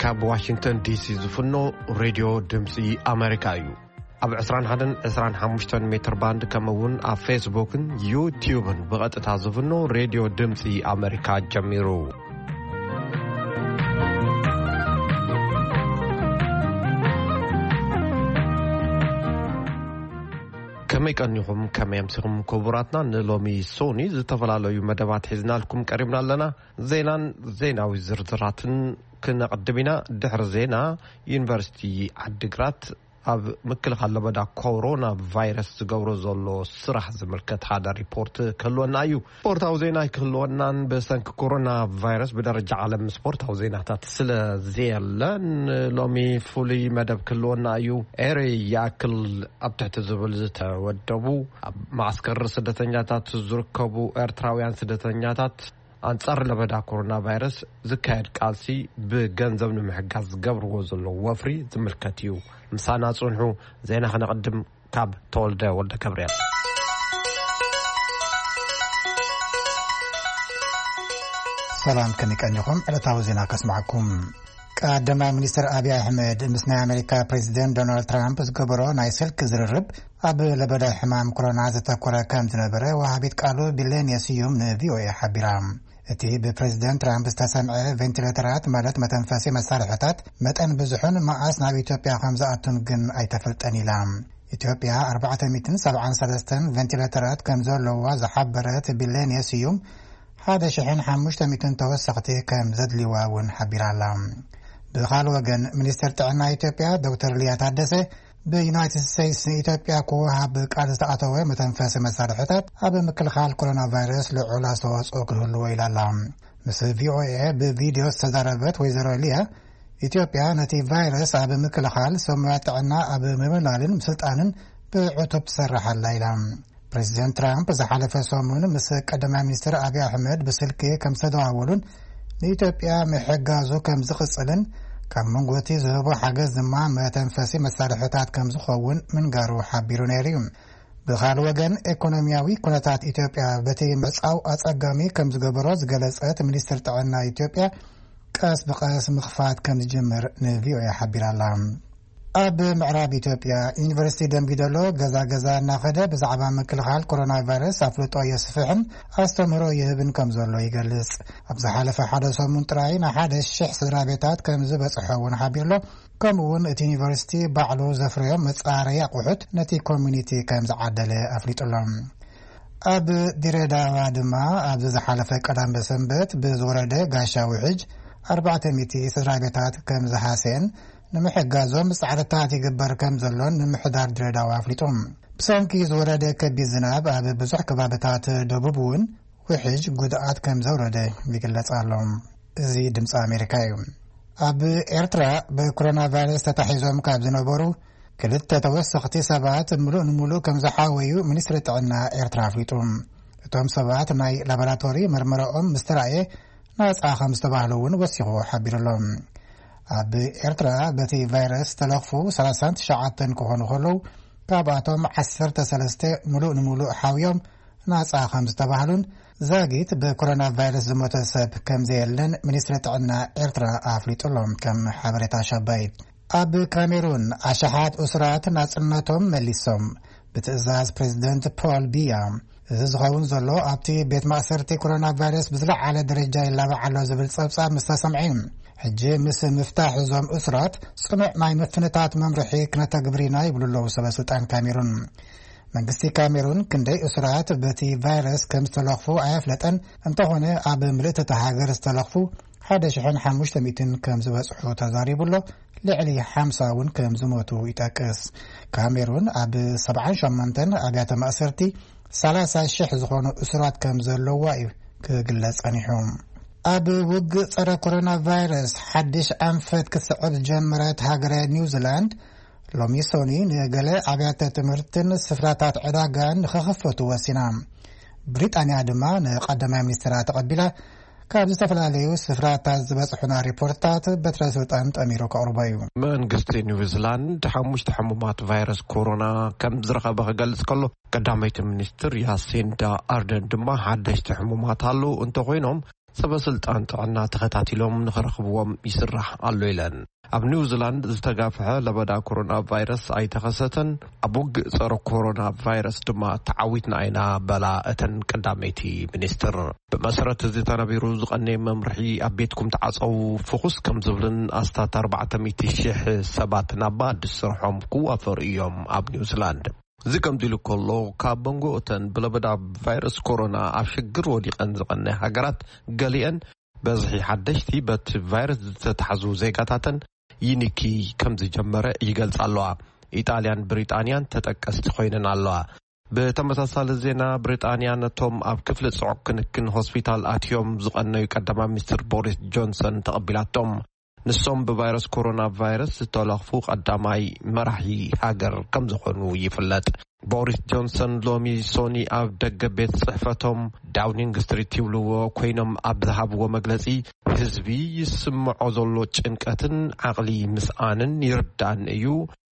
ካብ ዋሽንግተን ዲሲ ዝፍኖ ሬድዮ ድምፂ ኣሜሪካ እዩ። ኣብ ዕስራን ሓደን ዕስራን ሓሙሽተን ሜትር ባንድ፣ ከምኡ እውን ኣብ ፌስቡክን ዩቲዩብን ብቐጥታ ዝፍኖ ሬድዮ ድምፂ ኣሜሪካ ጀሚሩ። ከመይ ቀኒኹም፣ ከመይ ኣምሲኹም ክቡራትና? ንሎሚ ሶኒ ዝተፈላለዩ መደባት ሒዝናልኩም ቀሪብና ኣለና። ዜናን ዜናዊ ዝርዝራትን ክነቕድም ኢና። ድሕሪ ዜና፣ ዩኒቨርሲቲ ዓዲግራት ኣብ ምክልኻል ለበዳ ኮሮና ቫይረስ ዝገብሮ ዘሎ ስራሕ ዝምልከት ሓደ ሪፖርት ክህልወና እዩ። ስፖርታዊ ዜና ኣይክህልወናን፣ ብሰንኪ ኮሮና ቫይረስ ብደረጃ ዓለም ስፖርታዊ ዜናታት ስለ ዘየለ፣ ሎሚ ፍሉይ መደብ ክህልወና እዩ። ኤሪ ይኣክል፣ ኣብ ትሕቲ ዝብል ዝተወደቡ፣ ኣብ ማዕስከር ስደተኛታት ዝርከቡ ኤርትራውያን ስደተኛታት ኣንጻር ለበዳ ኮሮና ቫይረስ ዝካየድ ቃልሲ ብገንዘብ ንምሕጋዝ ዝገብርዎ ዘለዉ ወፍሪ ዝምልከት እዩ። ምሳና ጽንሑ። ዜና ከነቕድም ካብ ተወልደ ወልደ ገብርኤል። ሰላም፣ ከመይ ቀኒኹም? ዕለታዊ ዜና ከስማዕኩም። ቀዳማይ ሚኒስትር ኣብይ ኣሕመድ ምስ ናይ ኣሜሪካ ፕሬዚደንት ዶናልድ ትራምፕ ዝገበሮ ናይ ስልክ ዝርርብ፣ ኣብ ለበዳ ሕማም ኮሮና ዘተኮረ ከም ዝነበረ ወሃቢት ቃሉ ቢሌንየ ስዩም ንቪኦኤ ሓቢራ። እቲ ብፕሬዚደንት ትራምፕ ዝተሰምዐ፣ ቬንቲሌተራት ማለት መተንፈሲ መሳርሕታት መጠን ብዙሕን መዓስ ናብ ኢትዮጵያ ከም ዝኣቱን ግን ኣይተፈልጠን ኢላ። ኢትዮጵያ ኣርባዕተ ሚእትን ሰብዓን ሰለስተን ቬንቲሌተራት ከም ዘለዋ ዝሓበረት ቢሌንየ ስዩም፣ ሓደ ሽሕን ሓሙሽተ ሚእትን ተወሰኽቲ ከም ዘድልዋ እውን ሓቢራ ኣላ። ብኻልእ ወገን፣ ሚኒስትር ጥዕና ኢትዮጵያ ዶክተር ሊያ ታደሰ፣ ብዩናይትድ ስቴትስ ንኢትዮጵያ ክወሃብ ቃል ዝተኣተወ መተንፈሲ መሳርሕታት ኣብ ምክልኻል ኮሮና ቫይረስ ልዑል ኣስተዋጽኦ ክህልዎ ኢላ ኣላ። ምስ ቪኦኤ ብቪድዮ ዝተዛረበት ወይዘሮ ሊያ፣ ኢትዮጵያ ነቲ ቫይረስ ኣብ ምክልኻል፣ ሰብ ሞያ ጥዕና ኣብ ምምልማልን ምስልጣንን ብዕቱብ ትሰርሕ ኣላ ኢላ። ፕሬዚደንት ትራምፕ ዝሓለፈ ሰሙን ምስ ቀዳማይ ሚኒስትር ኣብይ ኣሕመድ ብስልኪ ከም ዝተደዋወሉን ንኢትዮጵያ ምሕጋዙ ከም ዝቕጽልን፣ ካብ መንጎ እቲ ዝህቦ ሓገዝ ድማ መተንፈሲ መሳርሕታት ከም ዝኸውን ምንጋሩ ሓቢሩ ነይሩ እዩ። ብኻልእ ወገን፣ ኢኮኖሚያዊ ኩነታት ኢትዮጵያ በቲ ምዕጻው ኣጸጋሚ ከም ዝገበሮ ዝገለጸት ሚኒስትር ጥዕና ኢትዮጵያ፣ ቀስ ብቐስ ምኽፋት ከም ዝጅምር ንቪኦኤ ሓቢራ ኣላ። ኣብ ምዕራብ ኢትዮጵያ፣ ዩኒቨርሲቲ ደምቢዶሎ ገዛ ገዛ እናኸደ ብዛዕባ ምክልኻል ኮሮና ቫይረስ ኣፍልጦ የስፍሕን ኣስተምህሮ ይህብን ከም ዘሎ ይገልጽ። ኣብ ዝሓለፈ ሓደ ሰሙን ጥራይ ንሓደ ሽሕ ስድራ ቤታት ከም ዝበጽሖ እውን ሓቢሩ ኣሎ። ከምኡ እውን እቲ ዩኒቨርሲቲ ባዕሉ ዘፍረዮም መጻረዪ ኣቑሑት ነቲ ኮሚኒቲ ከም ዝዓደለ ኣፍሊጡ ኣሎ። ኣብ ድሬዳዋ ድማ ኣብዚ ዝሓለፈ ቀዳም ሰንበት ብዝወረደ ጋሻ ውሕጅ ኣርባዕተ ሚእቲ ስድራ ቤታት ከም ዝሃሰየን ንምሕጋዞም ጻዕርታት ይግበር ከም ዘሎን ምምሕዳር ድሬዳዋ ኣፍሊጡ። ብሰንኪ ዝወረደ ከቢድ ዝናብ ኣብ ብዙሕ ከባብታት ደቡብ እውን ውሕጅ ጉድኣት ከም ዘውረደ ይግለጽ ኣሎ። እዚ ድምፂ ኣሜሪካ እዩ። ኣብ ኤርትራ ብኮሮና ቫይረስ ተታሒዞም ካብ ዝነበሩ ክልተ ተወሰኽቲ ሰባት ምሉእ ንምሉእ ከም ዝሓወዩ ሚኒስትሪ ጥዕና ኤርትራ ኣፍሊጡ። እቶም ሰባት ናይ ላቦራቶሪ መርመራኦም ምስ ተራእየ ናጻ ከም ዝተባህሉ እውን ወሲኹ ሓቢሩ ኣሎ። ኣብ ኤርትራ በቲ ቫይረስ ዝተለኽፉ ሰላሳን ትሽዓተን ክኾኑ ከለዉ፣ ካብኣቶም ዓሰርተ ሰለስተ ምሉእ ንምሉእ ሓውዮም ናጻ ከም ዝተባህሉን፣ ዛጊት ብኮሮና ቫይረስ ዝሞተ ሰብ ከም ዘየለን ሚኒስትሪ ጥዕና ኤርትራ ኣፍሊጡ ኣሎ። ከም ሓበሬታ ሻባይት፣ ኣብ ካሜሩን ኣሽሓት እሱራት ናጽነቶም መሊሶም፣ ብትእዛዝ ፕሬዚደንት ፖል ቢያ። እዚ ዝኸውን ዘሎ፣ ኣብቲ ቤት ማእሰርቲ ኮሮና ቫይረስ ብዝለዓለ ደረጃ ይላባዕ ኣሎ ዝብል ጸብጻብ ምስ ተሰምዐ እዩ። ሕጂ ምስ ምፍታሕ እዞም እሱራት፣ ጽኑዕ ናይ ምፍንታት መምርሒ ክነተግብር ኢና ይብሉ ኣለዉ ሰበ ስልጣን ካሜሩን። መንግስቲ ካሜሩን ክንደይ እሱራት በቲ ቫይረስ ከም ዝተለኽፉ ኣየፍለጠን። እንተኾነ፣ ኣብ ምልእቲ እታ ሃገር ዝተለኽፉ ሓደ ሽሕን ሓሙሽተ ሚእትን ከም ዝበጽሑ ተዛሪቡ ኣሎ። ልዕሊ ሓምሳ እውን ከም ዝሞቱ ይጠቅስ። ካሜሩን ኣብ ሰብዓን ሸሞንተን ኣብያተ ማእሰርቲ ሰላሳ ሽሕ ዝኾኑ እሱራት ከም ዘለዋ እዩ ክግለጽ ጸኒሑ። ኣብ ውግእ ጸረ ኮሮና ቫይረስ ሓድሽ ኣንፈት ክትስዕብ ዝጀመረት ሃገረ ኒውዚላንድ፣ ሎሚ ሶኒ ንገለ ኣብያተ ትምህርትን ስፍራታት ዕዳጋን ንኽኽፈቱ ወሲና። ብሪጣንያ ድማ ንቀዳማይ ሚኒስትራ ተቐቢላ፣ ካብ ዝተፈላለዩ ስፍራታት ዝበጽሑና ሪፖርትታት በትረ ስልጣን ጠሚሩ ከቕርቦ እዩ። መንግስቲ ኒውዚላንድ ሓሙሽተ ሕሙማት ቫይረስ ኮሮና ከም ዝረኸበ ክገልጽ ከሎ፣ ቀዳመይቲ ሚኒስትር ያሲንዳ ኣርደን ድማ ሓደሽቲ ሕሙማት ኣለዉ እንተኾይኖም፣ ሰበ ስልጣን ጥዕና ተኸታቲሎም ንኽረኽብዎም ይስራሕ ኣሎ ኢለን። ኣብ ኒውዚላንድ ዝተጋፍሐ ለበዳ ኮሮና ቫይረስ ኣይተኸሰተን። ኣብ ውግእ ጸረ ኮሮና ቫይረስ ድማ ተዓዊትና ኢና በላ እተን ቀዳመይቲ ሚኒስትር። ብመሰረት እዚ ተነቢሩ ዝቐነየ መምርሒ ኣብ ቤትኩም ተዓጸው ፍኹስ ከም ዝብልን ኣስታት ኣርባዕተ ሚእቲ ሽሕ ሰባት ናብ ኣዲስ ስርሖም ክዋፈሩ እዮም ኣብ ኒውዚላንድ። እዚ ከምዚ ኢሉ ከሎ፣ ካብ መንጎ እተን ብለበዳ ቫይረስ ኮሮና ኣብ ሽግር ወዲቐን ዝቐነ ሃገራት ገሊአን በዝሒ ሓደሽቲ በቲ ቫይረስ ዝተታሕዙ ዜጋታተን ይንኪ ከም ዝጀመረ ይገልጻ ኣለዋ። ኢጣልያን ብሪጣንያን ተጠቀስቲ ኮይነን ኣለዋ። ብተመሳሳሊ ዜና፣ ብሪጣንያ ነቶም ኣብ ክፍሊ ጽዑቕ ክንክን ሆስፒታል ኣትዮም ዝቐነዩ ቀዳማይ ሚኒስትር ቦሪስ ጆንሰን ተቐቢላቶም። ንሶም ብቫይረስ ኮሮና ቫይረስ ዝተለኽፉ ቀዳማይ መራሒ ሃገር ከም ዝኾኑ ይፍለጥ። ቦሪስ ጆንሰን ሎሚ ሶኒ ኣብ ደገ ቤት ጽሕፈቶም ዳውኒንግ ስትሪት ይብልዎ ኮይኖም ኣብ ዝሃብዎ መግለጺ፣ ህዝቢ ይስምዖ ዘሎ ጭንቀትን ዓቕሊ ምስኣንን ይርዳን እዩ።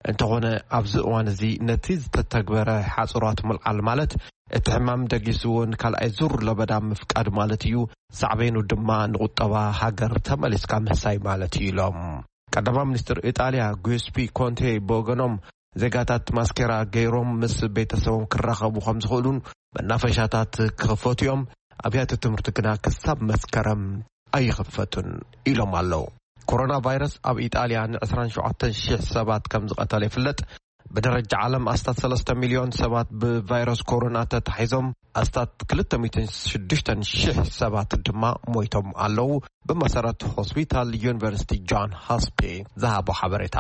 እንተኾነ ኣብዚ እዋን እዚ ነቲ ዝተተግበረ ሓጽራት ምልዓል ማለት እቲ ሕማም ደጊስዎ ንካልኣይ ዙር ለበዳ ምፍቃድ ማለት እዩ። ሳዕቤኑ ድማ ንቁጠባ ሃገር ተመሊስካ ምህሳይ ማለት እዩ ኢሎም። ቀዳማይ ሚኒስትር ኢጣልያ ጉስፒ ኮንቴ ብወገኖም፣ ዜጋታት ማስኬራ ገይሮም ምስ ቤተሰቦም ክራኸቡ ከም ዝኽእሉን መናፈሻታት ክኽፈቱ እዮም። ኣብያተ ትምህርቲ ግና ክሳብ መስከረም ኣይኽፈቱን ኢሎም ኣለዉ። ኮሮና ቫይረስ ኣብ ኢጣልያ ን ዕስራን ሸውዓተን ሽሕ ሰባት ከም ዝቐተለ ይፍለጥ። ብደረጃ ዓለም ኣስታት ሰለስተ ሚልዮን ሰባት ብቫይረስ ኮሮና ተታሒዞም፣ ኣስታት ክልተ ሚእትን ሽዱሽተን ሽሕ ሰባት ድማ ሞይቶም ኣለዉ። ብመሰረት ሆስፒታል ዩኒቨርሲቲ ጆን ሆስፒ ዝሃቦ ሓበሬታ።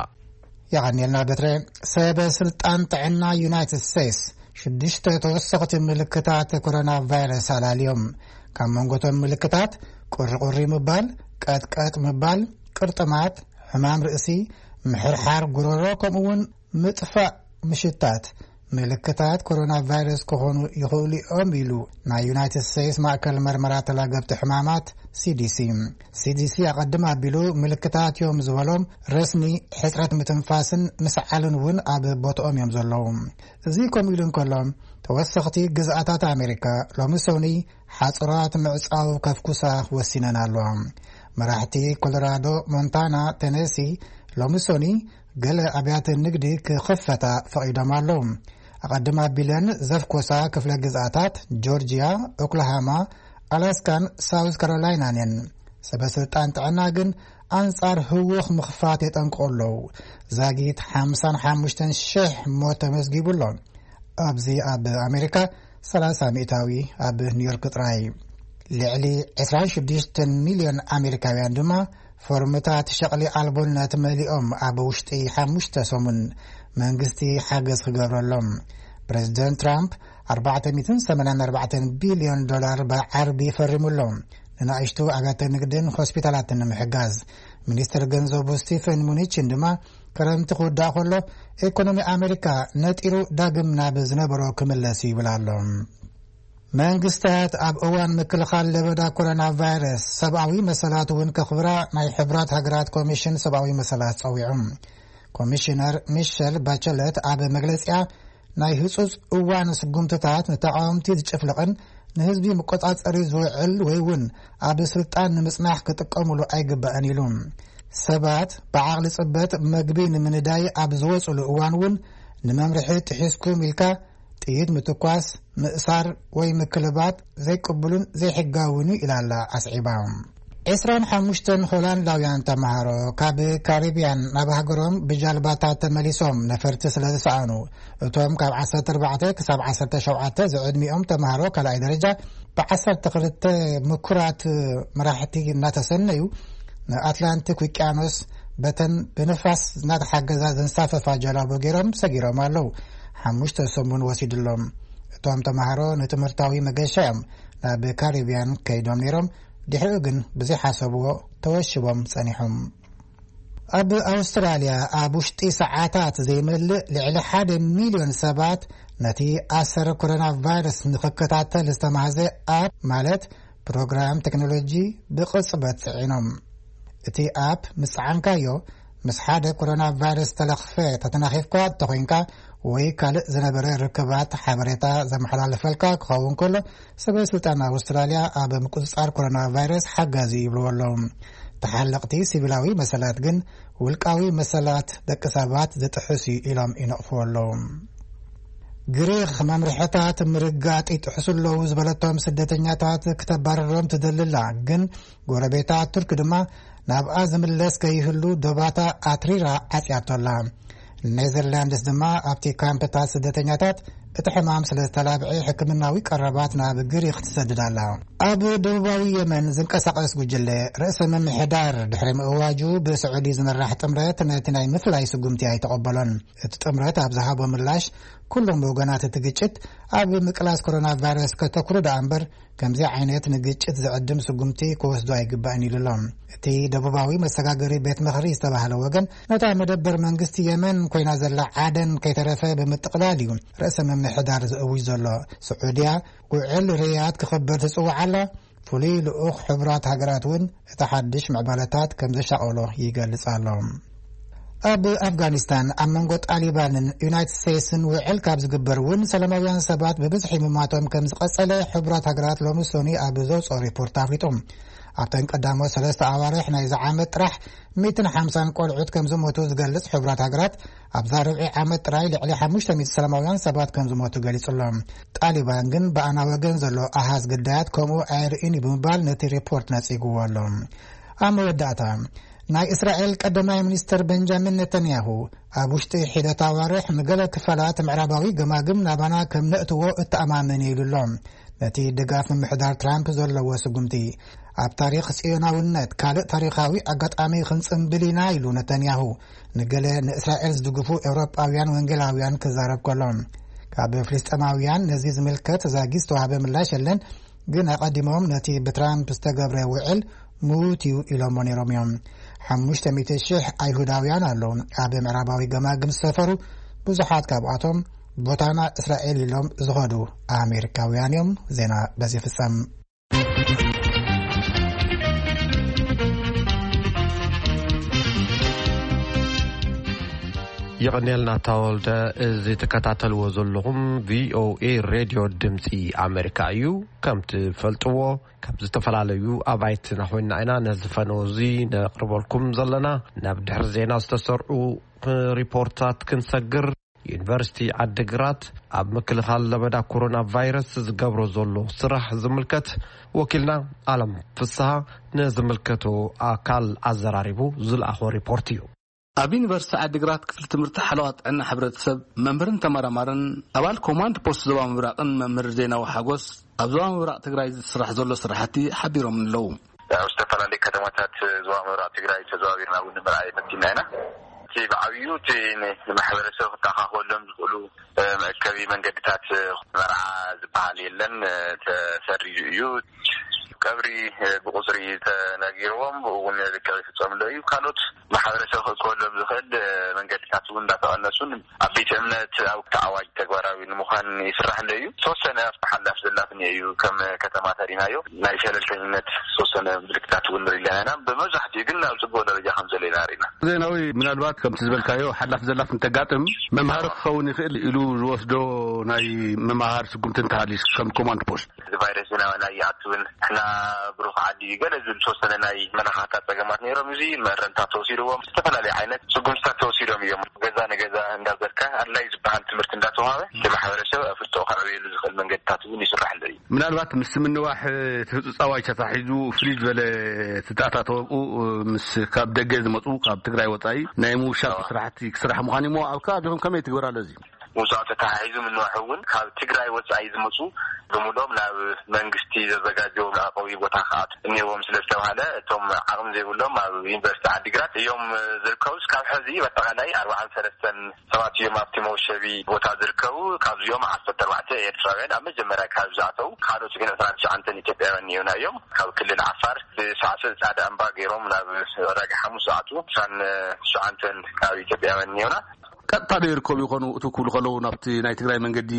የቐንየልና በትረ። ሰበ ስልጣን ጥዕና ዩናይትድ ስቴትስ ሽዱሽተ ተወሰኽቲ ምልክታት ኮሮና ቫይረስ ኣላልዮም። ካብ መንጎቶም ምልክታት ቁሪቁሪ ምባል፣ ቀጥቀጥ ምባል፣ ቅርጥማት፣ ሕማም ርእሲ፣ ምሕርሓር ጉሮሮ፣ ከምኡ እውን ምጥፋእ ምሽታት ምልክታት ኮሮና ቫይረስ ክኾኑ ይኽእሉ እዮም ኢሉ ናይ ዩናይትድ ስቴትስ ማእከል መርመራ ተላገብቲ ሕማማት ሲዲሲ። ሲዲሲ ኣቐድም ኣቢሉ ምልክታት እዮም ዝበሎም ረስኒ ሕጽረት ምትንፋስን ምስዓልን እውን ኣብ ቦትኦም እዮም ዘለዉ። እዚ ከምኡ ኢሉ እንከሎ፣ ተወሰኽቲ ግዝኣታት ኣሜሪካ ሎሚ ሰኑይ ሓጽራት ምዕጻው ከፍኩሳ ወሲነን ኣለዋ። መራሕቲ ኮሎራዶ፣ ሞንታና፣ ቴነሲ ሎሚ ሰኑይ ገለ ኣብያተ ንግዲ ክኽፈታ ፈቒዶም ኣለዉ። ኣቐድም ኣቢለን ዘፍኮሳ ክፍለ ግዝኣታት ጆርጅያ፣ ኦክላሃማ፣ ኣላስካን ሳውዝ ካሮላይናን እየን። ሰበ ስልጣን ጥዕና ግን ኣንጻር ህውኽ ምኽፋት የጠንቅቑ ኣለዉ። ዛጊት ሓምሳን ሓሙሽተን ሽሕ ሞት ተመዝጊቡ ኣሎ። ኣብዚ ኣብ ኣሜሪካ ሰላሳ ሚእታዊ ኣብ ኒውዮርክ ጥራይ። ልዕሊ ዕስራን ሽዱሽተን ሚልዮን ኣሜሪካውያን ድማ ፎርምታት ሸቕሊ ኣልቦነት መሊኦም ኣብ ውሽጢ ሓሙሽተ ሰሙን መንግስቲ ሓገዝ ክገብረሎም። ፕሬዚደንት ትራምፕ ኣርባዕተ ሚእትን ሰማንያን ኣርባዕተን ቢልዮን ዶላር ብዓርቢ ፈሪሙ ኣሎ፣ ንናእሽቱ ኣብያተ ንግድን ሆስፒታላትን ንምሕጋዝ። ሚኒስትር ገንዘቡ ስቲፈን ሙኒችን ድማ ክረምቲ ክውዳእ ከሎ ኢኮኖሚ ኣሜሪካ ነጢሩ ዳግም ናብ ዝነበሮ ክምለስ ይብል ኣሎ። መንግስታት ኣብ እዋን ምክልኻል ለበዳ ኮሮና ቫይረስ ሰብኣዊ መሰላት እውን ከኽብራ ናይ ሕብራት ሃገራት ኮሚሽን ሰብኣዊ መሰላት ጸዊዖም። ኮሚሽነር ሚሸል ባቸለት ኣብ መግለጺኣ፣ ናይ ህጹጽ እዋን ስጉምትታት ንተቓወምቲ ዝጭፍልቕን ንህዝቢ መቆጻጸሪ ዝውዕል ወይ እውን ኣብ ስልጣን ንምጽናሕ ክጥቀሙሉ ኣይግባእን ኢሉ። ሰባት ብዓቕሊ ጽበት መግቢ ንምንዳይ ኣብ ዝወጽሉ እዋን እውን ንመምርሒ ጥሒስኩም ኢልካ ጥይት ምትኳስ፣ ምእሳር ወይ ምክልባት ዘይቅቡልን ዘይሕጋውን እዩ ኢላ ኣላ ኣስዒባ። ዕስራን ሓሙሽተን ሆላንዳውያን ተምሃሮ ካብ ካሪብያን ናብ ሃገሮም ብጃልባታት ተመሊሶም ነፈርቲ ስለ ዝሰኣኑ፣ እቶም ካብ ዓሰርተ ኣርባዕተ ክሳብ ዓሰርተ ሸውዓተ ዝዕድሚኦም ተምሃሮ ካልኣይ ደረጃ ብዓሰርተ ክልተ ምኩራት መራሕቲ እናተሰነዩ ንኣትላንቲክ ውቅያኖስ በተን ብንፋስ እናተሓገዛ ዘንሳፈፋ ጀላቡ ገይሮም ሰጊሮም ኣለዉ። ሓሙሽተ ሰሙን ወሲድሎም። እቶም ተምሃሮ ንትምህርታዊ መገሻ እዮም ናብ ካሪብያን ከይዶም ነይሮም። ድሕሪኡ ግን ብዘይሓሰብዎ ተወሽቦም ጸኒሖም። ኣብ ኣውስትራልያ ኣብ ውሽጢ ሰዓታት ዘይመልእ ልዕሊ ሓደ ሚልዮን ሰባት ነቲ ኣሰር ኮሮና ቫይረስ ንኽከታተል ዝተማህዘ ኣፕ ማለት ፕሮግራም ቴክኖሎጂ ብቕጽበት ጽዒኖም። እቲ ኣፕ ምስ ጸዓንካዮ፣ ምስ ሓደ ኮሮና ቫይረስ ተለኽፈ ተተናኺፍካ እንተኾይንካ ወይ ካልእ ዝነበረ ርክባት ሓበሬታ ዘመሓላለፈልካ ክኸውን ከሎ፣ ሰበ ስልጣን ኣውስትራልያ ኣብ ምቁጽጻር ኮሮና ቫይረስ ሓጋዚ ይብልዎ ኣለዉ። ተሓለቕቲ ሲቪላዊ መሰላት ግን ውልቃዊ መሰላት ደቂ ሰባት ዝጥሕስ እዩ ኢሎም ይነቕፍዎ ኣለዉ። ግሪኽ መምርሕታት ምርጋጥ ይጥሕሱ ኣለዉ ዝበለቶም ስደተኛታት ክተባረሮም ትደሊ ኣላ፣ ግን ጎረቤታ ቱርክ ድማ ናብኣ ዝምለስ ከይህሉ ዶባታ ኣትሪራ ዓጽያቶ ኣላ። ኔዘርላንድስ ድማ ኣብቲ ካምፕታት ስደተኛታት እቲ ሕማም ስለ ዝተላብዐ ሕክምናዊ ቀረባት ናብ ግሪኽ ትሰድድ ኣላ። ኣብ ደቡባዊ የመን ዝንቀሳቐስ ጉጅለ ርእሰ ምምሕዳር ድሕሪ ምእዋጁ ብስዑዲ ዝምራሕ ጥምረት ነቲ ናይ ምፍላይ ስጉምቲ ኣይተቐበሎን። እቲ ጥምረት ኣብ ዝሃቦ ምላሽ፣ ኩሎም ወገናት እቲ ግጭት ኣብ ምቅላስ ኮሮና ቫይረስ ከተኩሩ ደኣ እምበር ከምዚ ዓይነት ንግጭት ዝዕድም ስጉምቲ ክወስዱ ኣይግባእን ኢሉ ኣሎ። እቲ ደቡባዊ መሰጋገሪ ቤት ምኽሪ ዝተባህለ ወገን ነታ መደበር መንግስቲ የመን ኮይና ዘላ ዓደን ከይተረፈ ብምጥቕላል እዩ ርእሰ ምምሕዳር ዝእውጅ ዘሎ። ስዑድያ ውዕል ርያድ ክኽበር ትጽውዕ ኣላ። ፍሉይ ልኡኽ ሕቡራት ሃገራት እውን እቲ ሓድሽ ምዕባለታት ከም ዘሻቐሎ ይገልጽ ኣሎ። ኣብ ኣፍጋኒስታን ኣብ መንጎ ጣሊባንን ዩናይትድ ስቴትስን ውዕል ካብ ዝግበር እውን ሰላማውያን ሰባት ብብዝሒ ምማቶም ከም ዝቐጸለ ሕቡራት ሃገራት ሎሚ ሶኒ ኣብ ዘውፅኦ ሪፖርት ኣፍሊጡ። ኣብተን ቀዳሞት ሰለስተ ኣዋርሕ ናይዚ ዓመት ጥራሕ ሚእትን ሓምሳን ቆልዑት ከም ዝሞቱ ዝገልጽ ሕቡራት ሃገራት ኣብዛ ርብዒ ዓመት ጥራይ ልዕሊ ሓሙሽተ ሚእቲ ሰላማውያን ሰባት ከም ዝሞቱ ገሊጹ ኣሎ። ጣሊባን ግን ብኣና ወገን ዘሎ ኣሃዝ ግዳያት ከምኡ ኣየርእን እዩ ብምባል ነቲ ሪፖርት ነጺግዎ ኣሎ። ኣብ መወዳእታ ናይ እስራኤል ቀዳማይ ሚኒስትር ቤንጃሚን ኔታንያሁ ኣብ ውሽጢ ሒደት ኣዋርሕ ንገለ ክፋላት ምዕራባዊ ገማግም ናባና ከም ነእትዎ እተኣማመን ኢሉ ኣሎ። ነቲ ድጋፍ ምምሕዳር ትራምፕ ዘለዎ ስጉምቲ ኣብ ታሪኽ ጽዮናውነት ካልእ ታሪኻዊ ኣጋጣሚ ክንጽንብል ኢና ኢሉ ነታንያሁ ንገለ ንእስራኤል ዝድግፉ ኤውሮጳውያን ወንጌላውያን ክዛረብ ከሎ፣ ካብ ፍልስጤማውያን ነዚ ዝምልከት ዛጊ ዝተዋህበ ምላሽ የለን፣ ግን ኣቐዲሞም ነቲ ብትራምፕ ዝተገብረ ውዕል ምዉት እዩ ኢሎሞ ነይሮም እዮም። ሓሙሽተ ሚእቲ ሽሕ ኣይሁዳውያን ኣለዉ ኣብ ምዕራባዊ ገማግም ዝሰፈሩ፣ ብዙሓት ካብኣቶም ቦታና እስራኤል ኢሎም ዝኸዱ ኣሜሪካውያን እዮም። ዜና በዚ ይፍጸም። የቐንየልና ተወልደ። እዚ ትከታተልዎ ዘለኹም ቪኦኤ ሬድዮ ድምፂ ኣሜሪካ እዩ። ከም ትፈልጥዎ ካብ ዝተፈላለዩ ኣባይትና ኮይና ኢና ነዚ ፈነው እዚ ነቕርበልኩም ዘለና። ናብ ድሕሪ ዜና ዝተሰርዑ ሪፖርታት ክንሰግር፣ ዩኒቨርሲቲ ዓዲግራት ኣብ ምክልኻል ለበዳ ኮሮና ቫይረስ ዝገብሮ ዘሎ ስራሕ ዝምልከት ወኪልና ኣለም ፍስሃ ንዝምልከቶ ኣካል ኣዘራሪቡ ዝለኣኾ ሪፖርት እዩ። ኣብ ዩኒቨርሲቲ ዓዲግራት ክፍሊ ትምህርቲ ሓለዋ ጥዕና ሕብረተሰብ መምህርን ተመራማርን ኣባል ኮማንድ ፖስት ዞባ ምብራቕን መምህር ዜናዊ ሓጎስ ኣብ ዞባ ምብራቕ ትግራይ ዝስራሕ ዘሎ ስራሕቲ ሓቢሮም ኣለዉ። ኣብ ዝተፈላለዩ ከተማታት ዞባ ምብራቕ ትግራይ ተዘዋዊርና እውን ንምርኣይ ፈቲና ኢና። እቲ ብዓብዩ እቲ ንማሕበረሰብ ክተኻኸሎም ዝኽእሉ መእከቢ መንገድታት መርዓ ዝበሃል የለን፣ ተሰሪዙ እዩ። ቀብሪ ብቁፅሪ ተነጊርዎም ብኡ እውን ርክብ ይፍፀምሎ እዩ። ካልኦት ማሕበረሰብ ክእከበሎም ዝኽእል መንገድታት እውን እንዳተቐነሱን ኣብ ቤተ እምነት ኣብ ተኣዋጅ ተግባራዊ ንምዃን ይስራሕ ኣሎ እዩ። ተወሰነ ሓላፍ ዘላፍን እዩ። ከም ከተማ ተሪናዮ ናይ ሸለልተኝነት ዝተወሰነ ምልክታት እውን ንርኢ ኣለና ኢና። ብመብዛሕትኡ ግን ኣብ ፅቡቅ ደረጃ ከም ዘሎ ኢና ርኢና። ዜናዊ፣ ምናልባት ከምቲ ዝበልካዮ ሓላፍ ዘላፍ እንተጋጥም መምሃሪ ክኸውን ይኽእል ኢሉ ዝወስዶ ናይ መምሃር ስጉምቲ እንተሃልዩስ ከም ኮማንድ ፖስት? እዚ ቫይረስ ናባና ይኣትውን ንሕና ብሩኽ ዓዲ እዩ ገለ ዝብል ዝተወሰነ ናይ መለኻኽታ ጸገማት ነይሮም። እዚ መእረምታት ተወሲድዎም ዝተፈላለዩ ዓይነት ስጉምትታት ተወሲዶም እዮም። ገዛ ንገዛ እንዳዘርካ ኣድላይ ዝበሃል ትምህርቲ እንዳተዋሃበ እቲ ማሕበረሰብ ኣፍልጦ ከዕብየሉ ዝኽእል መንገድታት እውን ይስራሕ ኣሎ እዩ። ምናልባት ምስ ምንዋሕ እቲ ህጹጽ ኣዋጅ ተታሒዙ ፍልይ ዝበለ ዝተኣታተወ ምስ ካብ ደገ ዝመጹ ካብ ትግራይ ወጻኢ ናይ ምውሻብ ስራሕቲ ክስራሕ ምዃን እሞ ኣብ ከባቢኹም ከመይ ትግበር ኣሎ እዚ? ምውጻእ ተተሓሒዙ ምንዋሕ እውን ካብ ትግራይ ወጻኢ ዝመጹ ብምሎም ናብ መንግስቲ ዘዘጋጀዎ መዕቆቢ ቦታ ክኣቱ እኒዎም ስለ ዝተባሃለ እቶም ዓቕሚ ዘይብሎም ኣብ ዩኒቨርሲቲ ዓዲግራት እዮም ዝርከቡ። እስካብ ሕዚ በጠቓላይ ኣርባዓን ሰለስተን ሰባት እዮም ኣብቲ መወሸቢ ቦታ ዝርከቡ። ካብዚኦም ዓሰርተ ኣርባዕተ ኤርትራውያን ኣብ መጀመርያ ካብ ዝኣተው ካልኦት ግን ዕስራን ትሽዓንተን ኢትዮጵያውያን እዮም። ካብ ክልል ዓፋር ብሳዕስዕ ጻዕዳ እምባ ገይሮም ናብ ዕዳጋ ሓሙስ ዝኣትዉ ዕስራን ትሽዓንተን ካብ ኢትዮጵያውያን እዮም። ቀጥታ ዶ ይርከቡ ይኾኑ? እቱ ክብሉ ከለዉ ናብቲ ናይ ትግራይ መንገዲ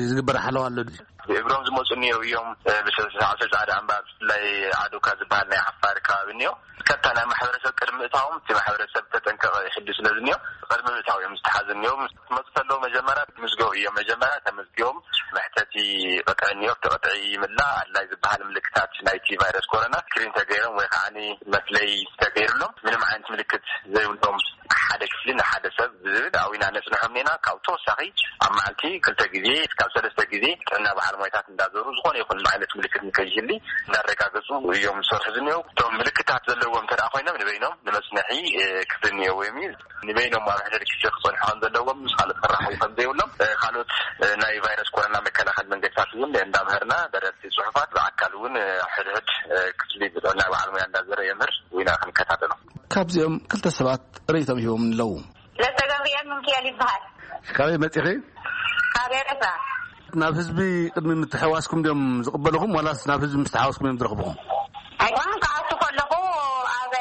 ዝግበር ሓለዋ ኣሎ ድዩ? ብእግሮም ዝመፁ እኒኦ እዮም። ብሰዓተ ፃዕዳ ኣምባ ብፍላይ ዓዶካ ዝበሃል ናይ ዓፋር ከባቢ እኒኦ። ቀጥታ ናይ ማሕበረሰብ ቅድሚ እታዎም እቲ ማሕበረሰብ ተጠንቀቐ ይሕሉ ስለ ዝኒኦ ቅድሚ ምእታው እዮም ዝተሓዙ እኒኦ። መፅእ ከለዉ መጀመርያ ምዝገቡ እዮም። መጀመርያ ተመዝጊቦም መሕተቲ ቅጥዒ እኒኦ። እቲ ቅጥዒ ይምላእ። ኣድላይ ዝበሃል ምልክታት ናይቲ ቫይረስ ኮሮና ስክሪን ተገይሮም ወይ ከዓ መፍለይ ተገይሩሎም ምንም ዓይነት ምልክት ዘይብሎም ሓደ ክፍሊ ንሓደ ሰብ ዝብል ኣዊና ነፅንሖም ኔና። ካብ ተወሳኺ ኣብ መዓልቲ ክልተ ግዜ ካብ ሰለስተ ግዜ ጥዕና በዓል ሞይታት እንዳዞሩ ዝኾነ ይኹን ዓይነት ምልክት ንከይህሊ እንዳረጋገፁ እዮም ዝሰርሑ ዝኒኦ። እቶም ምልክታት ዘለዎም እንተ ኮይኖም ንበይኖም ንመፅንሒ ክፍሊ እኒኦ ወይም ንበይኖም ኣብ ሕድሕድ ክፍሊ ክፀንሑ ከም ዘለዎም ምስ ካልኦት ክራኸቡ ከም ዘይብሎም ካልኦት ናይ ቫይረስ ኮሮና መከላኸል መንገድታት እውን እንዳምሀርና ደረርቲ ፅሑፋት ብኣካል እውን ሕድሕድ ክፍሊ ብጥዕና በዓል ሞያ እንዳዘረ የምህር። ዊና ክንከታተሎ። ካብዚኦም ክልተ ሰባት ርእይቶም ሂቦም ኣለዉ። ለተገብርኤል ምንክኤል ይበሃል። ካበይ መጺኺ? ካብ ኤረትራ። ናብ ህዝቢ ቅድሚ ምትሕዋስኩም ድዮም ዝቕበልኹም ዋላስ ናብ ህዝቢ ምስ ተሓወስኩም እዮም ዝረኽብኹም? ኣይኮኑን፣ ክኣቱ ከለኹ ኣብ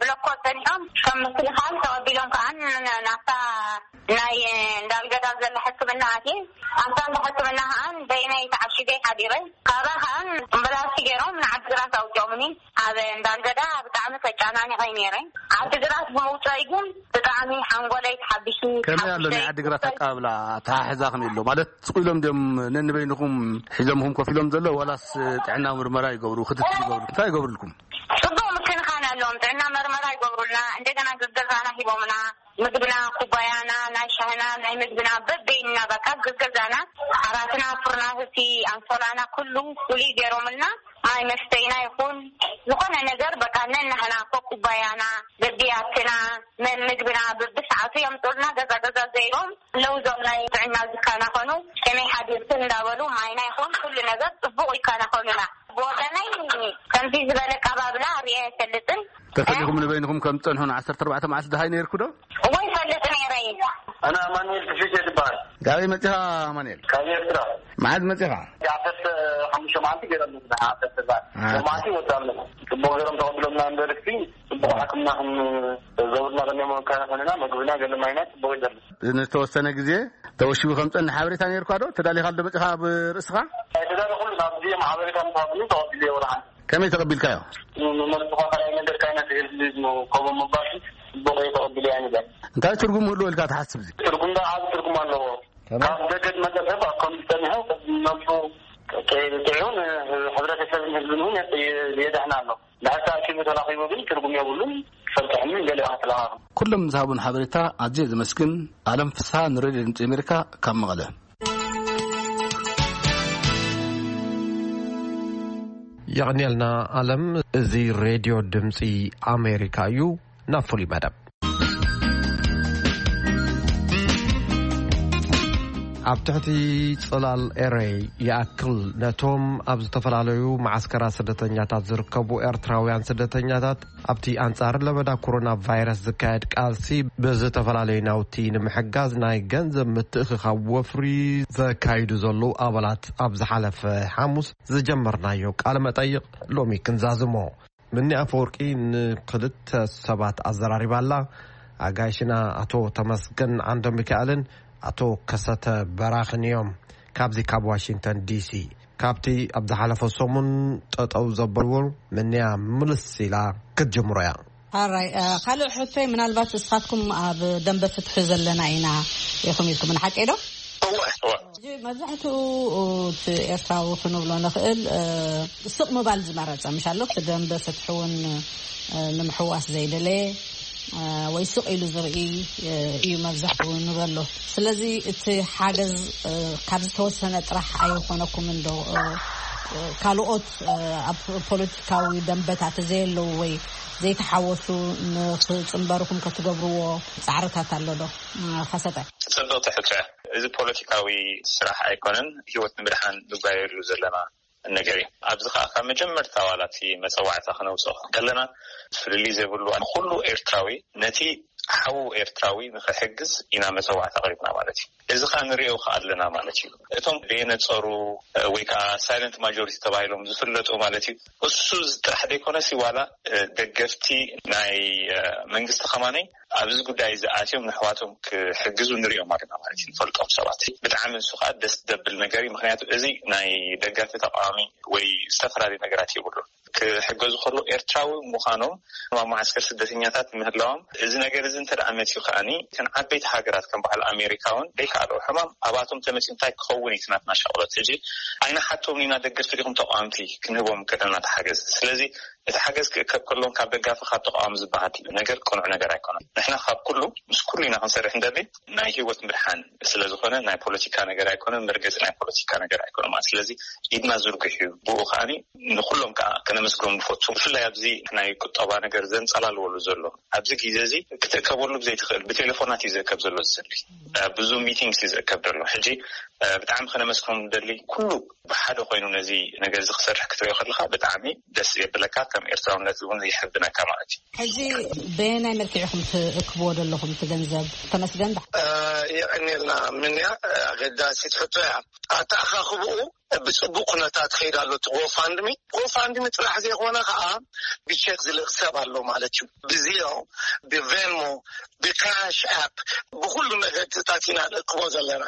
ብሎኮ ጸኒሖም ከም ምክልኻል ተቐቢሎም ከኣ ናብታ ናይ እንዳልገዳ ዘላ ሕክምና ኣትየ። ኣብታ እንዳ ሕክምና ከኣ በይነይ ተዓሺገ ሓዲረ። ካብኣ ከኣ ኣምቡላንስ ገይሮም ንዓዲግራት ኣውጺኦምኒ። ኣብ እንዳልገዳ ብጣዕሚ ተጨናኒቐ ነይረ። ዓዲግራት ብምውፀይ ግን ብጣዕሚ ሓንጎለይ ተሓቢሱ። ከመይ ኣሎ ናይ ዓዲግራት ኣቀባብላ? ኣተሓሕዛ ከመይ ኣሎ ማለት ስቕ ኢሎም ድዮም ነንበይንኹም ሒዞምኹም ኮፍ ኢሎም ዘሎ ዋላስ ጥዕና ምርመራ ይገብሩ ክትትል ይገብሩ እንታይ ይገብሩልኩም? ፅቡቕ ምክንኻን ኣለዎም። ጥዕና መርመራ ይገብሩልና፣ እንደገና ገዛና ሂቦምና፣ ምግብና፣ ኩባያና፣ ናይ ሻህና፣ ናይ ምግብና በበይንና በቃ ገዛና፣ ዓራትና፣ ፍርናህቲ፣ ኣንሶላና ኩሉ ፍሉይ ገይሮምልና፣ ማይ መስተይና ይኹን ዝኾነ ነገር በቃ ነናህና ኮኩባያና በቢያትና መን ምግብና በብሰዓቱ የምጡልና። ገዛ ገዛ ዘይሮም ኣለዉ ዞም ናይ ጥዕና ዝከናኸኑ ከመይ ሓዲርክን እንዳበሉ ማይና ይኹን ኩሉ ነገር ጽቡቕ ይከናኸኑና። ብወገነይ ከምዚ ዝበለ ኣቀባብላ ርእየ ኣይፈልጥን። ተፈሊኹም ንበይንኹም ከም ትጸንሑ ን ዓሰርተ ኣርባዕተ መዓልቲ ደሃይ ነይርኩ ዶ? እወ ይፈልጥ ነይረ። ኣነ ኣማኑኤል ክፍሊት እየ ዝበሃል። ካበይ መጺኻ ኣማኑኤል? ካብ ኤርትራ። መዓዝ መጺኻ? ዓሰርተ ሓሙሽተ መዓልቲ ገይረ ኣለኹ። ዓሰርተ ኣርባዕተ ኣሓ። መዓልቲ ይወጽእ ኣለኹ። ጽቡቕ ገይሮም ተቐቢሎምና እምበር እቲ ጽቡቕ ሕክምና ከም ዘውርና ከኒኦም ከነኾንና ምግብና ገለ ማይና ጽቡቕ ይደሉ። ንተወሰነ ግዜ ተወሺቡ ከም ጸንሕ ሓበሬታ ነይርኳ ዶ? ተዳሊኻ ዶ መጺኻ ኣብ ርእስኻ? ኣይተዳለኹሉን። ኣብዚ እዮም ሓበሬታ ምስ ሃቡኒ ተቐቢለዮ ወርሓን። ከመይ ተቐቢልካዮ? ንመልስኻ ካልኣይ ነገር ካይና ትህል ከምኡ ምባል ጽቡቕ እዩ ተቐቢለዮ ኣይንበል። እንታይ ትርጉም ህልዎ ኢልካ ትሓስብ እዚ? ትርጉም ዶ ዓቢ ትርጉም ኣለዎ። ከመይ? ካብ ደገ ዝመጸ ሰብ ኣብ ከምዚ ጸኒሑ ነብሱ ጥዑን ሕብረተሰብን ህዝብን እውን የድሕን ኣሎ። ድሕር ተኣኪቡ ተራኺቡ ግን ትርጉም የብሉን። ክፈልጥሕምን ገሊኦ ከተለኻኽም። ኩሎም ዝሃቡን ሓበሬታ ኣዝየ ዘመስግን። ኣለም ፍስሃ ንሬድዮ ድምፂ ኣሜሪካ ካብ መቐለ። የቐንየልና ኣለም። እዚ ሬድዮ ድምፂ ኣሜሪካ እዩ። ናብ ፍሉይ መደብ። ኣብ ትሕቲ ጽላል ኤረይ ይኣክል ነቶም ኣብ ዝተፈላለዩ መዓስከራት ስደተኛታት ዝርከቡ ኤርትራውያን ስደተኛታት ኣብቲ ኣንጻር ለበዳ ኮሮና ቫይረስ ዝካየድ ቃልሲ ብዝተፈላለዩ ናውቲ ንምሕጋዝ ናይ ገንዘብ ምትእኽኻብ ወፍሪ ዘካይዱ ዘለዉ ኣባላት ኣብ ዝሓለፈ ሓሙስ ዝጀመርናዮ ቃለ መጠይቕ ሎሚ ክንዛዝሞ። ምኒ ኣፈወርቂ ንክልተ ሰባት ኣዘራሪባ ኣላ። ኣጋይሽና ኣቶ ተመስገን ዓንደ ሚካኤልን ኣቶ ከሰተ በራኽን እዮም። ካብዚ ካብ ዋሽንግተን ዲሲ፣ ካብቲ ኣብ ዝሓለፈ ሰሙን ጠጠው ዘበልዎ ምንያ ምልስ ኢላ ክትጅምሮ እያ። ኣራይ፣ እ፣ ካልእ ሕቶይ፣ ምናልባት እስኻትኩም ኣብ ደንበ ፍትሒ ዘለና ኢና ኢኹም ኢልኩም፣ ንሓቂ ዶ? እወ፣ እወ። ሕጂ መብዛሕትኡ እቲ ኤርትራዊ ክንብሎ ንኽእል፣ እ፣ ስቕ ምባል ዝመረጸ፣ ምሽ ኣሎ፣ እቲ ደንበ ፍትሒ እውን፣ እ፣ ንምሕዋስ ዘይደለየ፣ እ፣ ወይ ስቕ ኢሉ ዝርኢ፣ እ፣ እዩ መብዛሕትኡ ንበሎ። ስለዚ እቲ ሓገዝ፣ እ፣ ካብ ዝተወሰነ ጥራሕ ኣይኾነኩምን ዶ? እ፣ እ፣ ካልኦት፣ እ፣ ኣብ ፖለቲካዊ ደንበታት ዘየለዉ ወይ ዘይተሓወሱ ንኽጽንበርኹም ከትገብርዎ ጻዕርታት ኣሎ ዶ? እ፣ ከሰተ። ጽብቕቲ ሕቶ እያ። እዚ ፖለቲካዊ ስራሕ ኣይኮነን፣ ህይወት ንምድሓን ንጓየሉ ዘለና ነገር እዩ። ኣብዚ ኸኣ ካብ መጀመርታ ዋላ እቲ መጸዋዕታ ክነውጽኦ ከለና ፍልልይ ዘይብሉ ኩሉ ኤርትራዊ ነቲ ሓዉ ኤርትራዊ ንኽሕግዝ ኢና መጸዋዕታ ኣቕሪብና ማለት እዩ። እዚ ኸኣ ንሪኦ ኸኣ ኣለና ማለት እዩ። እቶም ደየነጸሩ ወይ ከዓ ሳይለንት ማጆሪቲ ተባሂሎም ዝፍለጡ ማለት እዩ፣ እሱ ጥራሕ ዘይኮነሲ ዋላ ደገፍቲ ናይ መንግስቲ ከማነይ ኣብዚ ጉዳይ እዚ ኣትዮም ንሕዋቶም ክሕግዙ ንሪኦም ኣለና ማለት እዩ። ንፈልጦም ሰባት ብጣዕሚ ንሱ ከዓ ደስ ደብል ነገር እዩ። ምክንያቱ እዚ ናይ ደጋፊ ተቃዋሚ ወይ ዝተፈላለዩ ነገራት የብሉን። ክሕገዙ ከሎ ኤርትራዊ ምዃኖም ኣብ መዓስከር ስደተኛታት ምህላዎም፣ እዚ ነገር እዚ እንተ ደኣ መፅዩ ከኣኒ እተን ዓበይቲ ሃገራት ከም በዓል ኣሜሪካ እውን ዘይከኣልኦ ሕማም ኣባቶም ተመፅዩ እንታይ ክኸውን እዩ እቲ ናትና ሻቕሎት? ሕጂ ኣይንሓቶም ኢና ደገፍቲ ዲኹም ተቃወምቲ ክንህቦም ከለና ተሓገዝ። ስለዚ እቲ ሓገዝ ክእከብ ከሎን ካብ ደጋፊ ካብ ተቃዋሚ ዝበሃል ነገር ቅኑዕ ነገር ኣይኮነን። ንሕና ካብ ኩሉ ምስ ኩሉ ኢና ክንሰርሕ እንደሊ ናይ ህይወት ምድሓን ስለዝኾነ ናይ ፖለቲካ ነገር ኣይኮነን፣ መርገፂ ናይ ፖለቲካ ነገር ኣይኮነን ማለት። ስለዚ ኢድና ዝርጉሕ እዩ። ብኡ ከዓኒ ንኩሎም ከዓ ከነመስግኖም ንፈቱ። ብፍላይ ኣብዚ ናይ ቁጠባ ነገር ዘንፀላልወሉ ዘሎ ኣብዚ ግዜ እዚ ክትእከበሉ ብዘይትኽእል ብቴሌፎናት እዩ ዝእከብ ዘሎ ዝስሊ ብዙ ሚቲንግስ እዩ ዝእከብ ዘሎ። ሕጂ ብጣዕሚ ከነመስግኖም ንደሊ። ኩሉ ብሓደ ኮይኑ ነዚ ነገር እዚ ክሰርሕ ክትሪኦ ከለካ ብጣዕሚ ደስ የብለካ፣ ከም ኤርትራውነት እውን ይሕብነካ ማለት እዩ። ሕጂ በየናይ መልክዕ ኢኹም ትእክብዎ ዘለኹም እቲ ገንዘብ? ተመስገን። የቀኒልና ምንያ ኣገዳሲት ሕቶ እያ። ኣተኣኻኽብኡ ብፅቡቅ ኩነታት ከይድ ኣሎ። እቲ ጎፋንድሚ ጎፋንድሚ ጥራሕ ዘይኮነ ከዓ ብቼክ ዝልእክ ሰብ ኣሎ ማለት እዩ። ብዚዮ፣ ብቬንሞ፣ ብካሽ ኣፕ፣ ብኩሉ መገድታት ኢና ንእክቦ ዘለና።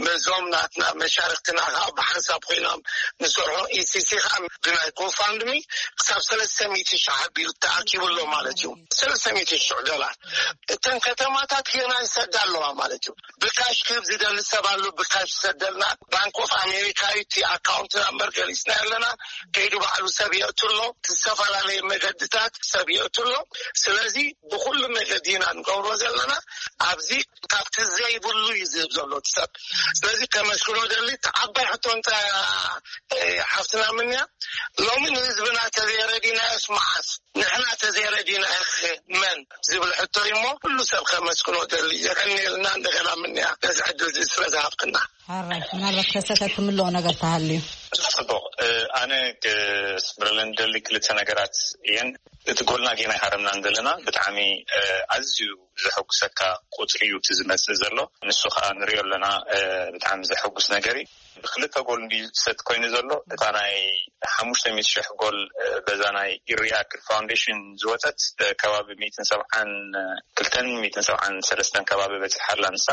በዞም ናትና መሻርክትና ከዓ ብሓንሳብ ኮይኖም ንሰርሖ ኢሲሲ ከዓ ብናይ ጎፋንድሚ ክሳብ ሰለስተ ሚእቲ ሺሕ ኣቢሉ ተኣኪቡ ኣሎ ማለት እዩ። ሰለስተ ሚእቲ ሺሕ ዶላር። እተን ከተማታት ገና ይሰዳ ኣለዋ ማለት እዩ። ብካሽ ክህብ ዝደሊ ሰብ ኣሎ፣ ብካሽ ይሰደልና። ባንክ ኦፍ ኣሜሪካ እዩ እቲ ኣካውንት ናምበር ገሊፅና ኣለና። ከይዱ ባዕሉ ሰብ የእቱ ኣሎ። ዝተፈላለዩ መገድታት ሰብ የእቱ ኣሎ። ስለዚ ብኩሉ መገዲ ኢና ንገብሮ ዘለና። ኣብዚ ካብቲ ዘይብሉ እዩ ዝህብ ዘሎ እቲ ሰብ። ስለዚ ከመስግኖ ደሊ። እቲ ዓባይ ሕቶ እንተ ሓፍትና ምንያ ሎሚ ንህዝብና ተዘይረዲናዮስ መዓስ ንሕና ተዘይረዲና መን ዝብል ሕቶ እሞ ኩሉ ሰብ ከመስግኖ ደሊ። የቀንየልና እንደገና ምንያ ነዚ ዕድል እዚ ስለ ዝሃብክና። ሓራይ ምናልባት ከሰተ ትምልኦ ነገር ተሃልዩ። ጽቡቕ። ኣነ ክስምረለን ደሊ ክልተ ነገራት እየን። እቲ ጎልና ጌና ይሃረምናን ዘለና ብጣዕሚ ኣዝዩ ዘሐጉሰካ ቁፅሪ እዩ እቲ ዝመፅእ ዘሎ። ንሱ ከዓ ንሪኦ ኣለና። ብጣዕሚ ዘሐጉስ ነገር እዩ። ብክልተ ጎል እንዲ ዝሰጥ ኮይኑ ዘሎ እታ ናይ ሓሙሽተ ሚእቲ ሽሕ ጎል በዛ ናይ ኢሪያክል ፋውንዴሽን ዝወፀት ከባቢ ሚእትን ሰብዓን ክልተን ሚእትን ሰብዓን ሰለስተን ከባቢ በፂሓ ኣላ። ንሳ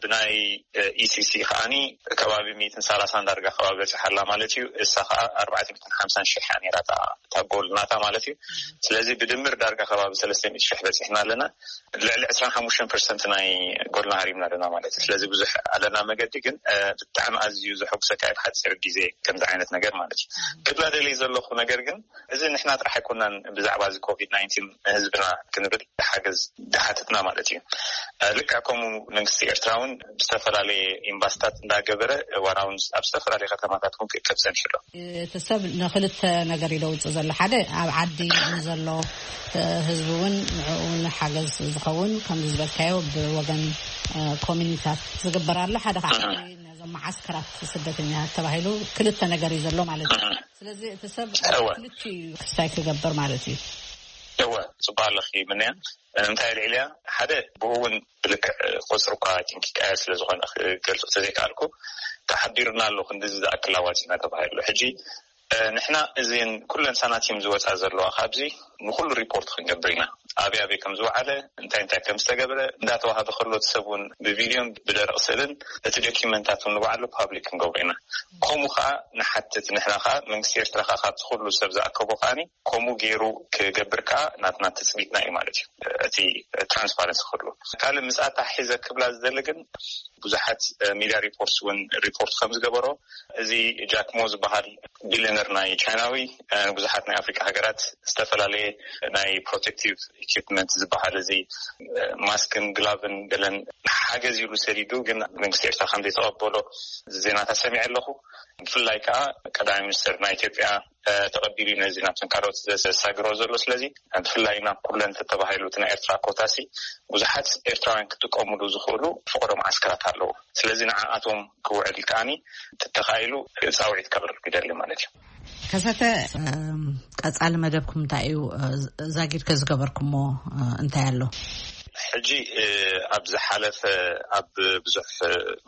ብናይ ኢሲሲ ከዓኒ ከባቢ ሚእትን ሰላሳን ዳርጋ ከባቢ በፂሓ ኣላ ማለት እዩ። እሳ ከዓ ኣርባዕተ ሚእትን ሓምሳን ሽሕ እያ ነይራ እታ ጎል ናታ ማለት እዩ። ስለዚ ብድምር ዳርጋ ከባቢ ሰለስተ ሚእቲ ሽሕ በፂሕና ኣለና። ልዕሊ ዕስራን ሓሙሽተን ፐርሰንት ናይ ጎልና ሃሪምና ኣለና ማለት እዩ። ስለዚ ብዙሕ ኣለና መገዲ ግን ብጣዕሚ ኣዝዩ ዘሐጉሰካ እዩ ብሓፂር ግዜ ከምዚ ዓይነት ነገር ማለት እዩ። ክብላ ደልየ ዘለኹ ነገር ግን እዚ ንሕና ጥራሕ ኣይኮናን ብዛዕባ እዚ ኮቪድ ናይንቲን ንህዝብና ክንብል ሓገዝ ድሓተትና ማለት እዩ። ልክዕ ከምኡ መንግስቲ ኤርትራ እውን ብዝተፈላለየ ኤምባስታት እንዳገበረ ዋላ እውን ኣብ ዝተፈላለየ ከተማታት እውን ክእከብ ጸኒሑ ኣሎ። እቲ ሰብ ንክልተ ነገር ኢለ ውፅእ ዘሎ ሓደ ኣብ ዓዲ ንዘሎ ህዝቢ እውን ንዕኡ ንሓገዝ ዝኸውን ከምዚ ዝበልካዮ ብወገን ኮሚኒታት ዝግበር ኣሎ። ሓደ ከዓ ነዞም መዓስከራት ስደተኛታት ተባሂሉ ክልተ ነገር እዩ ዘሎ ማለት እዩ። ስለዚ እቲ ሰብ ክልቲኡ እዩ ክስታይ ክገብር ማለት እዩ። እወ፣ ጽቡቅ ኣለኺ ምንያ። እንታይ ልዕልያ ሓደ ብኡ እውን ብልክዕ ቁፅሪ እኳ ቲንክ ይቀየር ስለዝኾነ ክገልፁ ተዘይከኣልኩ ተሓቢሩና ኣሎ ክንድዚ ዝኣክል ኣዋፂና ተባሂሉ። ሕጂ ንሕና እዚን ኩለን ሳናቲም ዝወፃ ዘለዋ ካብዚ ንኩሉ ሪፖርት ክንገብር ኢና። ኣበይ ኣበይ ከም ዝወዓለ እንታይ እንታይ ከም ዝተገብረ እንዳተዋሃበ ከሎ እቲ ሰብ እውን ብቪድዮን ብደረቕ ስእልን እቲ ዶኪመንታት እውን ንባዕሉ ፓብሊክ ክንገብሮ ኢና። ከምኡ ከዓ ንሓትት ንሕና ከዓ መንግስቲ ኤርትራ ከዓ ካብቲ ኩሉ ሰብ ዝኣከቦ ከዓኒ ከምኡ ገይሩ ክገብር ከዓ ናትና ትፅቢትና እዩ ማለት እዩ። እቲ ትራንስፓረንሲ ክህሉ ካልእ ምስ ኣታሒዘ ክብላ ዝደሊ ግን ብዙሓት ሚድያ ሪፖርትስ እውን ሪፖርት ከም ዝገበሮ እዚ ጃክሞ ዝበሃል ቢልዮነር ናይ ቻይናዊ ብዙሓት ናይ ኣፍሪካ ሃገራት ዝተፈላለየ ናይ ፕሮቴክቲቭ ኢኩፕመንት ዝበሃል እዚ ማስክን ግላቭን ገለን ሓገዝ ኢሉ ሰዲዱ ግን መንግስቲ ኤርትራ ከም ዘይተቐበሎ ዜናታት ሰሚዐ ኣለኹ። ብፍላይ ከዓ ቀዳማይ ሚኒስትር ናይ ኢትዮጵያ ተቐቢሉ ነዚ ናብተን ካልኦት ዘሳግሮ ዘሎ። ስለዚ ብፍላይ ናብ ኩለን ተተባሂሉ እቲ ናይ ኤርትራ ኮታሲ ብዙሓት ኤርትራውያን ክጥቀምሉ ዝኽእሉ ፍቕዶ መዓስከራት ኣለዉ። ስለዚ ንዓኣቶም ክውዕል ከዓኒ ተተኻኢሉ ፃውዒት ከቕርብ ይደሊ ማለት እዩ። ከሰተ ቀፃሊ መደብኩም እንታይ እዩ? ዛጊድ ከዝገበርኩሞ እንታይ ኣሎ? ሕጂ ኣብ ዝሓለፈ ኣብ ብዙሕ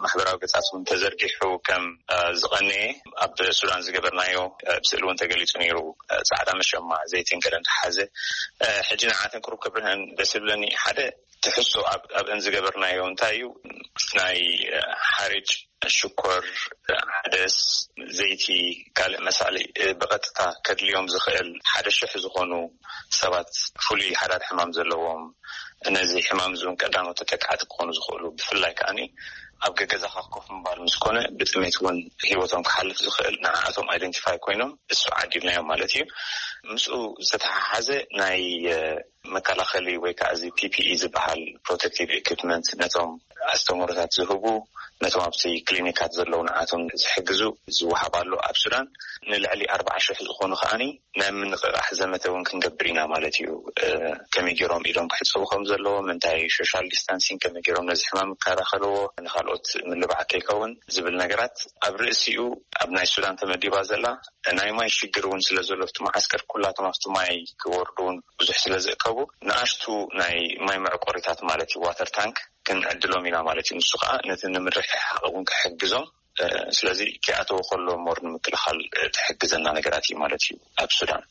ማሕበራዊ ገጻት እውን ተዘርጊሑ ከም ዝቐነየ ኣብ ሱዳን ዝገበርናዮ ስእሊ እውን ተገሊጹ ነይሩ። ጻዕዳ መሸማ ዘይትን ገለን ዝሓዘ። ሕጂ ንዓተን ቅሩብ ክብርህን ደስ ዝብለኒ ሓደ ትሕዝቶ ኣብእን ዝገበርናዮ እንታይ እዩ? ናይ ሓርጭ፣ ሽኮር፣ ሓደስ፣ ዘይቲ፣ ካልእ መሳሊ ብቐጥታ ከድልዮም ዝኽእል ሓደ ሽሕ ዝኾኑ ሰባት፣ ፍሉይ ሓዳድ ሕማም ዘለዎም፣ ነዚ ሕማም እዚ እውን ቀዳሞት ተጠቃዕቲ ክኾኑ ዝኽእሉ፣ ብፍላይ ከዓኒ ኣብ ገገዛኻ ኮፍ ምባል ምስ ኮነ ብጥሜት እውን ህይወቶም ክሓልፍ ዝኽእል፣ ንዓኣቶም ኣይደንቲፋይ ኮይኖም እሱ ዓዲልናዮም ማለት እዩ። ምስኡ ዝተተሓሓዘ ናይ መከላኸሊ ወይ ከዓ እዚ ፒ ፒ ኢ ዝበሃል ፕሮቴክቲቭ ኢኩፕመንት ነቶም ኣስተምህሮታት ዝህቡ፣ ነቶም ኣብቲ ክሊኒካት ዘለዉ ንዓቶም ዝሕግዙ ዝወሃብ ኣሎ ኣብ ሱዳን። ንልዕሊ ኣርባዓ ሽሕ ዝኾኑ ከዓኒ ናይ ምንቕቓሕ ዘመተ እውን ክንገብር ኢና ማለት እዩ። ከመይ ገይሮም ኢዶም ክሕፀቡ ከም ዘለዎም፣ እንታይ ሶሻል ዲስታንሲንግ ከመይ ገይሮም ነዚ ሕማም ይከላኸልዎ፣ ንካልኦት ምልባዕ ከይከውን ዝብል ነገራት ኣብ ርእሲኡ ኣብ ናይ ሱዳን ተመዲባ ዘላ ናይ ማይ ሽግር እውን ስለ ዘሎ፣ ኣብቲ መዓስከር ኩላቶም ኣብቲ ማይ ክወርዱ እውን ብዙሕ ስለ ዝእከቡ፣ ንኣሽቱ ናይ ማይ መዕቆሪታት ማለት እዩ፣ ዋተር ታንክ ክንዕድሎም ኢና ማለት እዩ። ንሱ ከዓ ነቲ ንምርሕሓቕ እውን ክሕግዞም፣ ስለዚ ክኣተው ከሎ ሞር ንምክልኻል ትሕግዘና ነገራት እዩ ማለት እዩ። ኣብ ሱዳን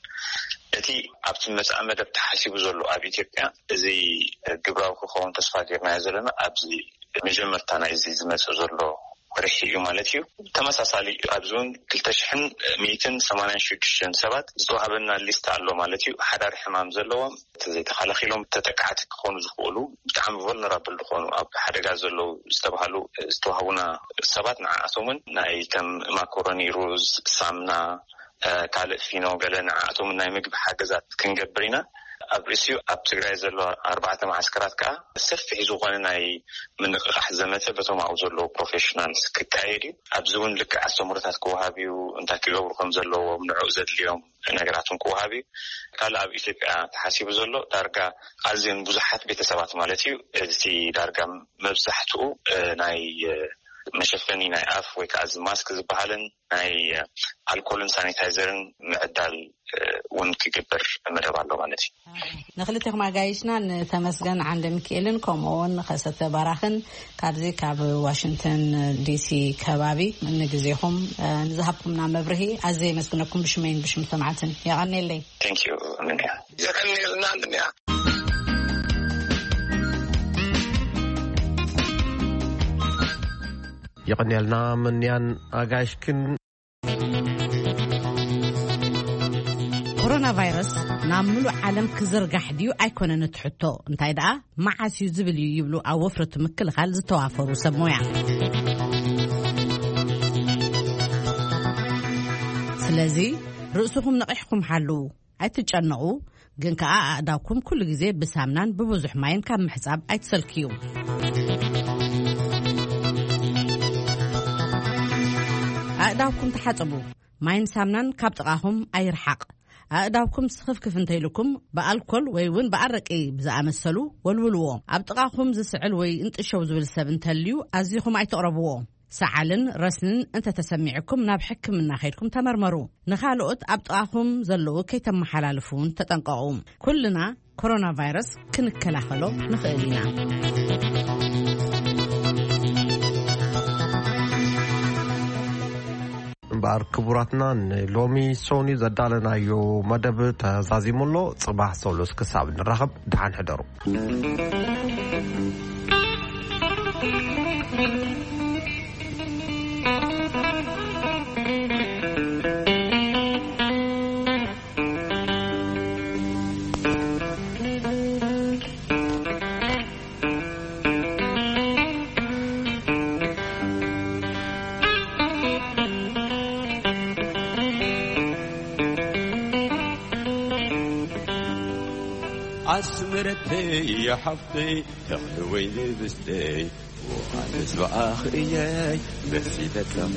እቲ ኣብቲ መጻኢ መደብ ተሓሲቡ ዘሎ ኣብ ኢትዮጵያ፣ እዚ ግብራዊ ክኸውን ተስፋ ጌርናዮ ዘለና ኣብዚ መጀመርታ ናይዚ ዝመጽእ ዘሎ ወርሒ እዩ ማለት እዩ። ተመሳሳሊ ኣብዚ እውን ክልተ ሽሕን ሚእትን ሰማንያን ሽዱሽተን ሰባት ዝተዋህበና ሊስት ኣሎ ማለት እዩ። ሓዳር ሕማም ዘለዎም፣ ዘይተኸላኺሎም ተጠቃዕቲ ክኾኑ ዝኽእሉ፣ ብጣዕሚ ቮልነራብል ዝኾኑ፣ ኣብ ሓደጋ ዘለዉ ዝተባሃሉ ዝተዋህቡና ሰባት፣ ንዓኣቶምን ናይ ከም ማኮሮኒ፣ ሩዝ፣ ሳምና፣ ካልእ ፊኖ፣ ገለ ንዓኣቶምን ናይ ምግቢ ሓገዛት ክንገብር ኢና። ኣብ ርእሲኡ ኣብ ትግራይ ዘሎ ኣርባዕተ መዓስከራት ከዓ ሰፊሕ ዝኾነ ናይ ምንቕቓሕ ዘመተ በቶም ኣብኡ ዘለዉ ፕሮፌሽናልስ ክካየድ እዩ። ኣብዚ እውን ልክዕ ኣስተምህሮታት ክወሃብ እዩ፣ እንታይ ክገብሩ ከም ዘለዎም፣ ንዕኡ ዘድልዮም ነገራት እውን ክወሃብ እዩ። ካልእ ኣብ ኢትዮጵያ ተሓሲቡ ዘሎ ዳርጋ ኣዝየን ብዙሓት ቤተሰባት ማለት እዩ። እቲ ዳርጋ መብዛሕትኡ ናይ መሸፈኒ ናይ ኣፍ ወይ ከዓ እዚ ማስክ ዝበሃልን ናይ ኣልኮልን ሳኒታይዘርን ምዕዳል እውን ክግበር መደብ ኣሎ ማለት እዩ። ንክልቴኹም ኣጋይሽና፣ ንተመስገን ዓንደ ሚካኤልን ከምኡ እውን ንኸሰተ ባራኽን ካብዚ ካብ ዋሽንግተን ዲሲ ከባቢ ንግዜኹም ንዝሃብኩምና መብርሂ ኣዝየ የመስግነኩም ብሽመይን ብሽም ሰማዕትን። የቐንየለይ። Thank you፣ ምንያ። የቐንየልና፣ ምንያ። የቐንየልና ምንያን ኣጋይሽክን። ኮሮና ቫይረስ ናብ ምሉእ ዓለም ክዝርጋሕ ድዩ ኣይኮነን እቲ ሕቶ፣ እንታይ ደኣ መዓስ እዩ ዝብል እዩ ይብሉ ኣብ ወፍሪ እቲ ምክልኻል ዝተዋፈሩ ሰብ ሞያ። ስለዚ ርእስኹም ነቒሕኩም ሓልዉ። ኣይትጨነቑ፣ ግን ከኣ ኣእዳውኩም ኩሉ ግዜ ብሳምናን ብብዙሕ ማይን ካብ ምሕጻብ ኣይትሰልክዩ። ኣእዳውኩም ተሓጸቡ። ማይን ሳምናን ካብ ጥቓኹም ኣይርሓቕ። ኣእዳውኩም ስኽፍክፍ እንተኢልኩም ብኣልኮል ወይ እውን ብኣረቂ ብዝኣመሰሉ ወልውልዎ። ኣብ ጥቓኹም ዝስዕል ወይ እንጥሸው ዝብል ሰብ እንተልዩ ኣዚኹም ኣይትቕረብዎ። ሰዓልን ረስንን እንተተሰሚዕኩም ናብ ሕክምና ከይድኩም ተመርመሩ። ንኻልኦት ኣብ ጥቓኹም ዘለዉ ከይተመሓላልፉ እውን ተጠንቀቑ። ኩልና ኮሮና ቫይረስ ክንከላኸሎ ንኽእል ኢና። እምበኣር ክቡራትና፣ ንሎሚ ሶኒ ዘዳለናዮ መደብ ተዛዚሙ ኣሎ። ጽባሕ ሰሉስ ክሳብ ንራኸብ፣ ደሓን ሕደሩ። ኣስመረተይ ሓፍተይ፣ ተኽሊ ወይኒ ብስተይ፣ ውሃ ተስፋ ኣኽእየይ መሲለትለኹ።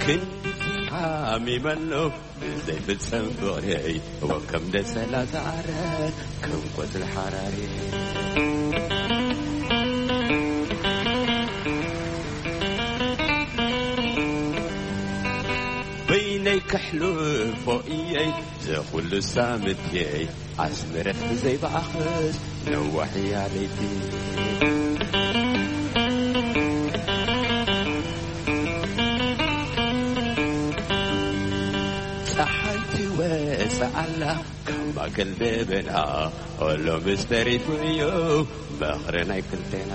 ክንዲ ሓሚመ ኣለኹ ብዘይፍጸም ፍቕረይ፣ ወከም ደሰላ ዝዓረር ከም ቆጽሊ ሓራሪ። ሕሉፎ እየይ ዘኹሉ ሳምትየይ ኣስምረት ዘይበኣኽስ ነዋሕያ ለይቲ። ፀሓይ ትወፅእ ኣላ ካብ ማእከል ደበና፣ ኦሎ ምስ ተሪፉ እዩ ምኽሪ ናይ ክልቴና።